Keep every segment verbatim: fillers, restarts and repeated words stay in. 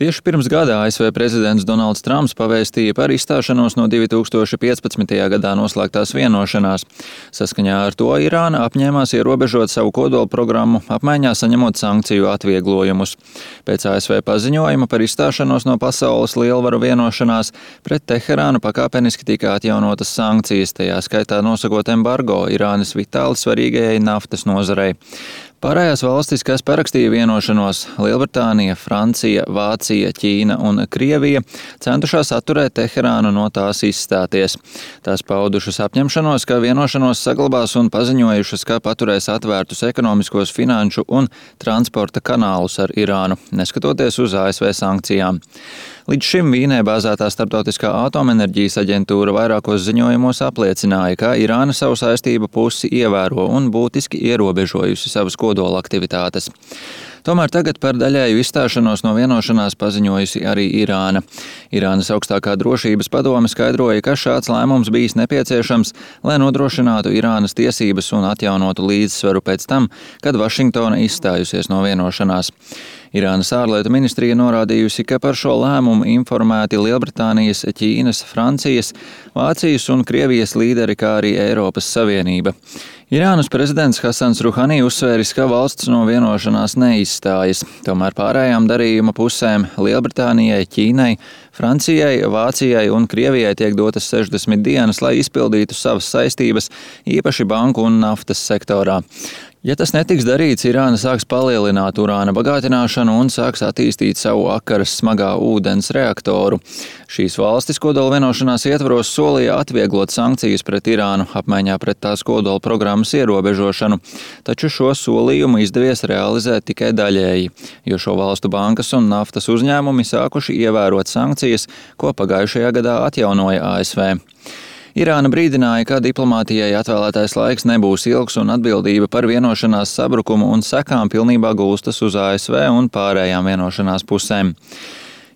Tieši pirms gada A S V prezidents Donalds Trumps pavēstīja par izstāšanos no divi tūkstoši piecpadsmitajā gadā noslēgtās vienošanās. Saskaņā ar to Irāna apņēmās ierobežot savu kodola programmu, apmaiņā saņemot sankciju atvieglojumus. Pēc A S V paziņojuma par izstāšanos no pasaules lielvaru vienošanās pret Teherānu pakāpeniski tika atjaunotas sankcijas, tajā skaitā nosakot embargo Irānas vitāli svarīgajai naftas nozarei. Pārējās valstis, kas parakstīja vienošanos - Lielbritānija, Francija, Vācija, Ķīna un Krievija - centušās atturēt Teherānu no tās izstāties. Tās paudušas apņemšanos, ka vienošanos saglabās un paziņojušas, ka paturēs atvērtus ekonomiskos, finanšu un transporta kanālus ar Irānu, neskatoties uz A S V sankcijām. Līdz šim Vīnē bāzētā Starptautiskā atomenerģijas aģentūra vairākos ziņojumos apliecināja, ka Irāna savu saistību pusi ievēro un būtiski ierobežojusi savas kodola aktivitātes. Tomēr tagad par daļēju izstāšanos no vienošanās paziņojusi arī Irāna. Irānas augstākā drošības padome skaidroja, ka šāds lēmums bijis nepieciešams, lai nodrošinātu Irānas tiesības un atjaunotu līdzsvaru pēc tam, kad Vašingtona izstājusies no vienošanās. Irānas ārlietu ministrija norādījusi, ka par šo lēmumu informēti Lielbritānijas, Ķīnas, Francijas, Vācijas un Krievijas līderi, kā arī Eiropas Savienība. Irānas prezidents Hasans Ruhani uzsvēris, ka valsts no vienošanās neizstājas. Tomēr pārējām darījuma pusēm - Lielbritānijai, Ķīnai, Francijai, Vācijai un Krievijai tiek dotas sešdesmit dienas, lai izpildītu savas saistības, īpaši banku un naftas sektorā. Ja tas netiks darīts, Irāna sāks palielināt urāna bagātināšanu un sāks attīstīt savu akaras smagā ūdens reaktoru. Šīs valstis kodola vienošanās ietvaros solīja atvieglot sankcijas pret Irānu apmaiņā pret tās kodola programmas ierobežošanu, taču šo solījumu izdevies realizēt tikai daļēji, jo šo valstu bankas un naftas uzņēmumi sākuši ievērot sankcijas, ko pagājušajā gadā atjaunoja A S V. Irāna brīdināja, ka diplomātijai atvēlētais laiks nebūs ilgs un atbildība par vienošanās sabrukumu un sekām pilnībā gulstas uz A S V un pārējām vienošanās pusēm.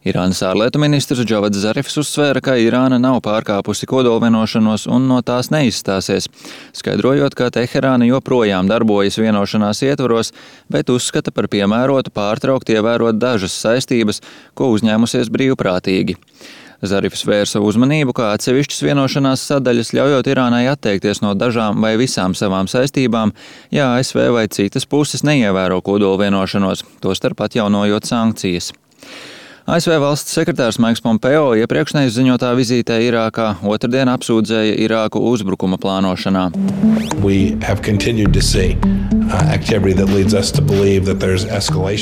Irānas ārlietu ministrs Džavads Zarifs uzsvēra, ka Irāna nav pārkāpusi kodola vienošanos un no tās neizstāsies, skaidrojot, ka Teherāna joprojām darbojas vienošanās ietvaros, bet uzskata par piemērotu pārtraukt ievērot dažas saistības, ko uzņēmusies brīvprātīgi. Zarifs vērsa uzmanību, kā atsevišķas vienošanās sadaļas ļaujot Irānai atteikties no dažām vai visām savām saistībām, ja A S V vai citas puses neievēro kodola vienošanos, tostarp atjaunojot sankcijas. A S V valsts sekretārs Maiks Pompeo iepriekšnējas ziņotā vizītē Irākā otrdien apsūdzēja Irāku uzbrukuma plānošanā.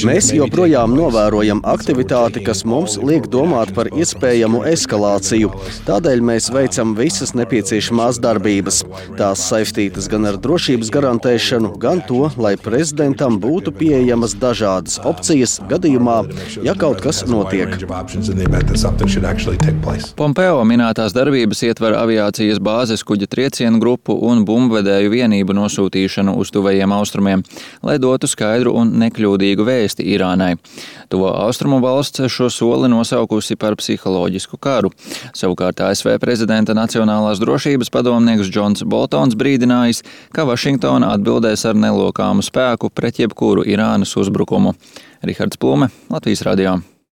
Mēs joprojām novērojam aktivitāti, kas mums liek domāt par iespējamu eskalāciju. Tādēļ mēs veicam visas nepieciešamās darbības. Tās saistītas gan ar drošības garantēšanu, gan to, lai prezidentam būtu pieejamas dažādas opcijas gadījumā, ja kaut kas notiek. Pompeo minētās darbības ietver aviācijas bāzes kuģa triecienu grupu un bumbvedēju vienību nosūtīšanu uz tuvajiem austrumiem, lai dotu skaidru un nekļūdīgu vēsti Irānai. Tuvo austrumu valsts šo soli nosaukusi par psiholoģisku karu. Savukārt A S V prezidenta Nacionālās drošības padomnieks Džons Boltons brīdinājis, ka Vašingtona atbildēs ar nelokāmu spēku pret jebkuru Irānas uzbrukumu. Rihards Plume, Latvijas radio.